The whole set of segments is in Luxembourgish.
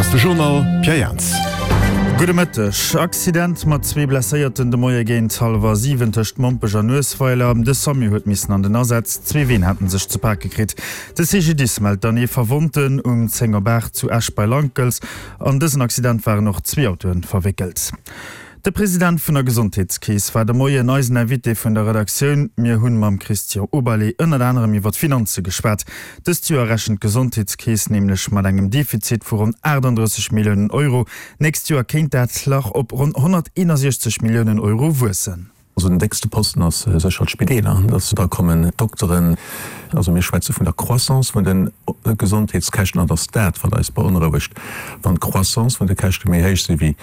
ass de Journal Pierre Jans. Gudde Mëtteg. Accident mat zwee Blesséierten de Moie géint hallwer 7 tëscht Mompech an Nuesweiler. De Samu huet missen an den Asaz. Zwee Ween haten sech ze pake kritt. De CGDIS mellt dann ee Verwonnten um 10 op 8 zu Esch bei Lankels. An dësen Accident waren och zwee Autoen verwéckelt. De President vun der Gesondheetskeess war de Moien eisen Invité vun der Redaktioun. Mir hunn mam Christian Oberlé ënnert anerem iwwer d'Finanze geschwat. Dëst Joer rechent d'Gesondheetskeess nämlech mat engem Defizit vu ronn 38 Milliounen Euro. D'nächst Joer kéint dat Lach op ronn 161 Milliounen Euro wuessen. Also den déckste Posten ass sécher d'Spideeler, dass da kommen d'Dokteren. Also mir schwätze vun der Croissance vun de Gesondheetskäschten an et ass dat, wat eis beonrouegt. Wann d'Croissance vun de Käschte méi héich si wéi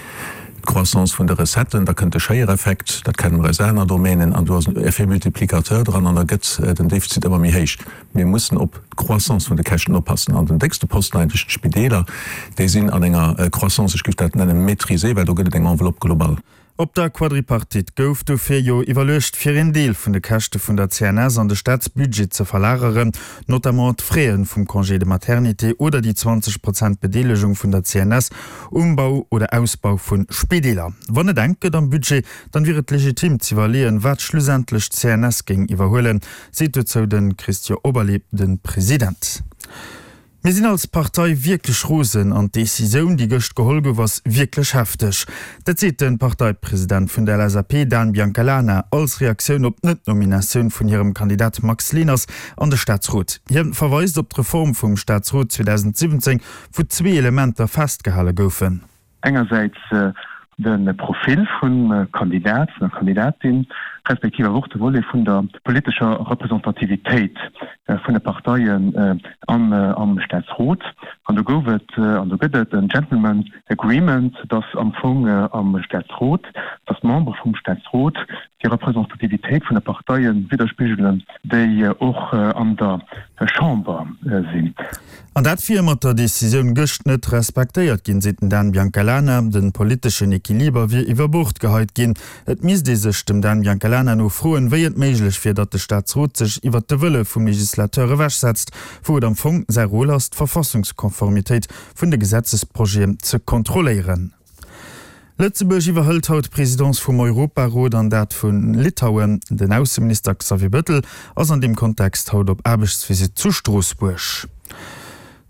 d'Croissance vun de Recetten, da kënnt de Schéiereffekt, dat kenne mer aus aner Domänen, an do ass en Effet multiplicateur dran an da gëtt den Defizit ëmmer méi héich. Mir mussen op d'Croissance vun de Käschten oppassen. An den déckste Posten eigentlech d'Spideeler, déi sinn an enger Croissance, ech géif dat nennen maîtrisée, well do gëtt et eng Enveloppe globale. Op der Quadripartite gouf dofir jo iwwerluecht, fir een Deel vun de Käschte vun der CNS an de Staatsbudget ze verlageren, notamment d'Fraie vum Congé de maternité oder déi 20 Prozent Bedeelegung vun der CNS um Bau oder Ausbau vu Spideeler. Wann et enk gëtt am Budget, dann wier et legitim z'iwwerleeën, wat schlussendlech d'CNS géing iwwerhuelen, seet dozou de Christian Oberlé, de President. Mir sinn als Partei wierklech rosen an d'Decisioun, déi gëscht geholl gouf, ass wierklech hefteg. Dat seet de Parteipresident vun der LSAP, Dan Biancalana, als Reaktioun op d'Net-Nominatioun vun hirem Kandidat Max Leners an de Staatsrot. Hie verweist op d'Reform vum Staatsrot 2017, wou zwee Elementer festgehale goufen. Engersäits de Profil vum Kandidat, vun der Kandidatin, respektiv awer och de Volet vun der politescher Representativitéit vun de Parteien am Staatsrot. An do gouf et an do gëtt et en Gentleman Agreement, dass am Fong am Staatsrot, dass d'Membere vum Staatsrot déi Representativitéit vun de Parteie widderspigelen, déi och an der Chamber sinn. An dat wier mat der Decisioun gëscht net respektéiert ginn, seet den Dan Biancalana. De politeschen Equiliber wier iwwer Bord geheit ginn. Et misst ee sech dem Dan Biancalana no froen, wéi et méiglech wier, datt de Staatsrot sech iwwer de Wëlle vum Legislateur ewechsetzt, wou et am Fong säi Rôle ass, d'Verfassungskonformitéit vun de Gesetzesprojeten ze kontrolléieren. Lëtzebuerg iwwerhëlt haut d'Presidence vum Europarot an dat vu Litauen. Den Ausseminister Xavier Bettel ass an deem Kontext haut op Aarbechtsvisitt zu Stroossbuerg.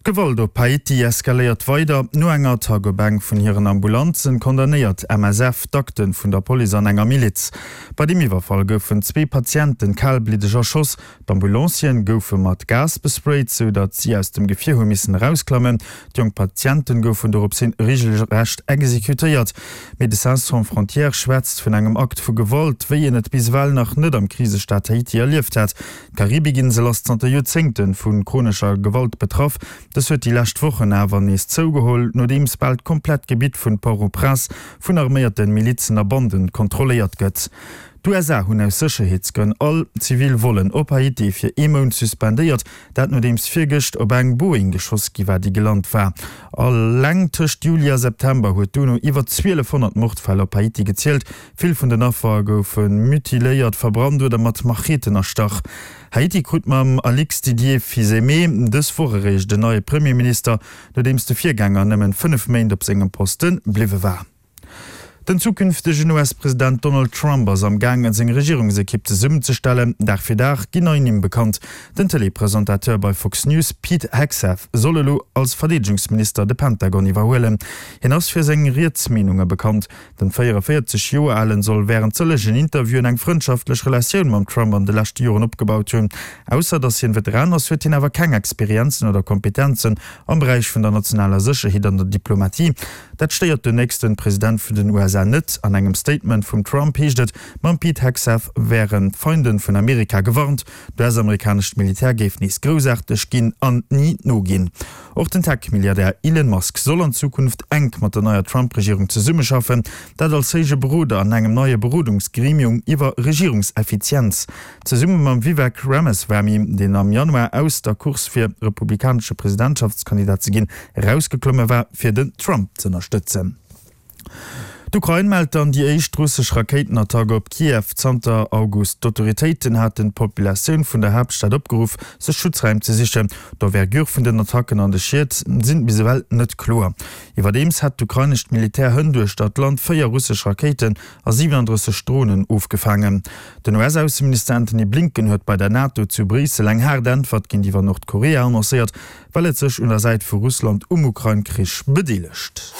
D'Gewalt op Haiti eskaléiert weider. No enger Attack op eng vun hiren Ambulanzen condamnéiert MSF d'Akte vun der Police an enger Miliz. Bei deem Iwwerfall goufen zwee Patienten kalbliddeg erschoss. D'Ambulancieren goufe mat Gas besprayt, sou datt si aus dem Gefier hu missen erausklammen. D'jonk Patienten goufen dorops hin regelrecht exekutéiert. Médecins Sans Frontières schwätzt vun engem Akt vu Gewalt, wéi een et bis ewell nach net am Krisestaat Haiti erlieft hätt. D'Karibikinsel ass zanter Joerzéngte vu chronescher Gewalt betraff. Dës huet déi lescht Wochen awer nees zougeholl, nodeems bal d'komplett Gebitt vun Port-au-Prince vun arméierten Milizen a Banden kontrolléiert gëtt. D'USA hunn aus Sécherheetsgrënn all zivil Vollen op Haiti fir ee Mount suspendéiert, dat nodeems virgëscht op eng Boeing geschoss gi war, déi gelant war. Alleng tëscht Juli a September huet d'UNO iwwer 1.200 Mordfäll op Haiti gezielt. Vill vun den Affer goufe mutiléiert, verbrannt oder mat Macheten erstach. Haiti krut mam Alix Didier Fils-Aimé dës Woch eréischt en neie Premierminister, nodeems de Virgänger nëmmen 5 Méint op sengem Poste bliwwe war. Den zukünftegen US-President Donald Trump ass am gaangen, seng Regierungsekipp zesummenzestellen. Dag fir Dag ginn nei Nimm bekannt. Den Tëlee-Presentateur bei Fox News Pete Hegseth soll elo als Verdeedegungsminister de Pentagon iwwerhuelen. Hien ass fir seng riets Meenunge bekannt. Den 44 Joer alen soll wärend sëllegen Interviewen eng frëndschaftlech Relatioun mam Trump an de leschte Joren opgebaut hunn. Ausser datt hien Veteran ass, huet hien awer keng Experienzen oder Kompetenzen am Beräich vun der nationaler Sécherheet an der Diplomatie. Dat stéiert den nächsten President vun den USA net. An engem Statement vum Trump heescht et, mam Pete Hegseth wären d'Feinden vun Amerika gewarnt, d'US-amerikanescht Militär géif nees groussaarteg ginn an ni noginn. Och den Tech-Milliardär Elon Musk soll an Zukunft enk mat der neier Trump-Regierung zesummeschaffen, dat als héije Beroder an engem neie Berodungsgremium iwwer Regierungseffizienz. Zesumme mam Vivek Ramaswamy, deen am Januar aus der Course fir republikanesche Presidentschaftskandidat ze ginn erausgeklomme war, fir den Trump z'ënnerstëtzen. D'Ukrain mellt dann déi éischt russesch Rakéitenattack op Kiew zanter August. D'autoritéiten haten d'Populatioun vun der Haaptstad opgeruff, sech Schutzraim ze sichen. D'Envergure vun den Attacken an de Schied sinn bis ewell net kloer. Iwwerdeems hätt d'ukrainescht Militär hënt uechter d'Land 4 russesch Rakéiten a 37 Dronen ofgefaangen. Den US-Ausseminister Antony Blinken huet bei der NATO zu Bréissel eng haart Äntwert géintiwwer Nordkorea annoncéiert, well et sech un der Säit vu Russland um Ukrain-Krich bedeelegt.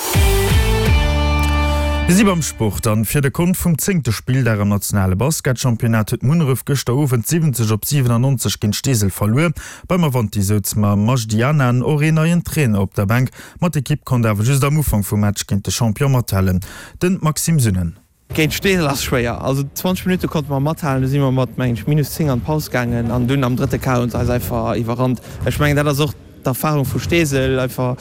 Mir si beim Sport an fir de Kont vum zéngte Spilldag am nationale Basketchampionnat huet Munneref gëschter Owend 70 op 97 géint Steesel verluer. Beim Avanti souz mam Majdi Anan och een neien Trainer op der Bänk, ma d'Ekipp konnt awer just am Ufank vum Match géint de Champion mathalen. Den Maxime Sünnen. Géint Steesel ass schwéier. Also 20 Minutte konnte mer mathalen, du si mer mat mengen ech minus 10 an d'Paus gaangen an dunn am drëtte Quart hunn se eis einfach iwwerrannt. Ech mengen dat ass och d'Erfahrung vu Steesel einfach,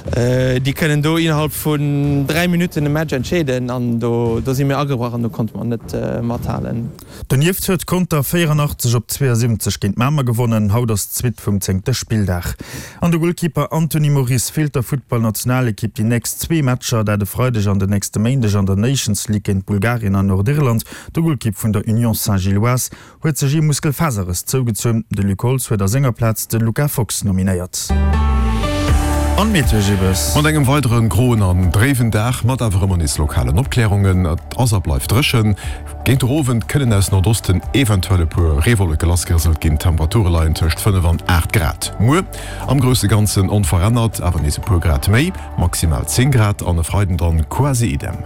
déi kënnen do innerhalb vun 3 Minutten e Match entscheeden an do do si mir agebrach an do konnte mer net mathalen. Donieft huet Conter 84 op 72 géint Mamer gewonnen. Haut ass d'Suite vum zéngte Spilldag. An de Golkeeper Anthony Moris feelt der Futtballnationalekipp déi nächst zwee Matcher, dat e Freideg an den nächste Méindeg an der Nations League géint Bulgarien an Nordirland. De Golkipp vun der Union Saint-Gilloise huet sech ee Muskelfaserrëss zougezunn. De Luc Holtz huet a senger Plaz de Luca Fox nominéiert. An d'Meteo Gibbes. Mat engem weidere groen an dréiwen Dag, mat awer ëmmer nees lokalen Opklärungen. Et ass a bleift dréchen. Géint de Owend kënnen aus Nordosten eventuell e puer Reewolleke lassgerëselt ginn. D'Temperature leien tëscht 5 an 8 Grad. Muer am grousse Ganzen onverännert, awer nees e puer Grad méi, maximal 10 Grad an e Freiden dann quasi idem.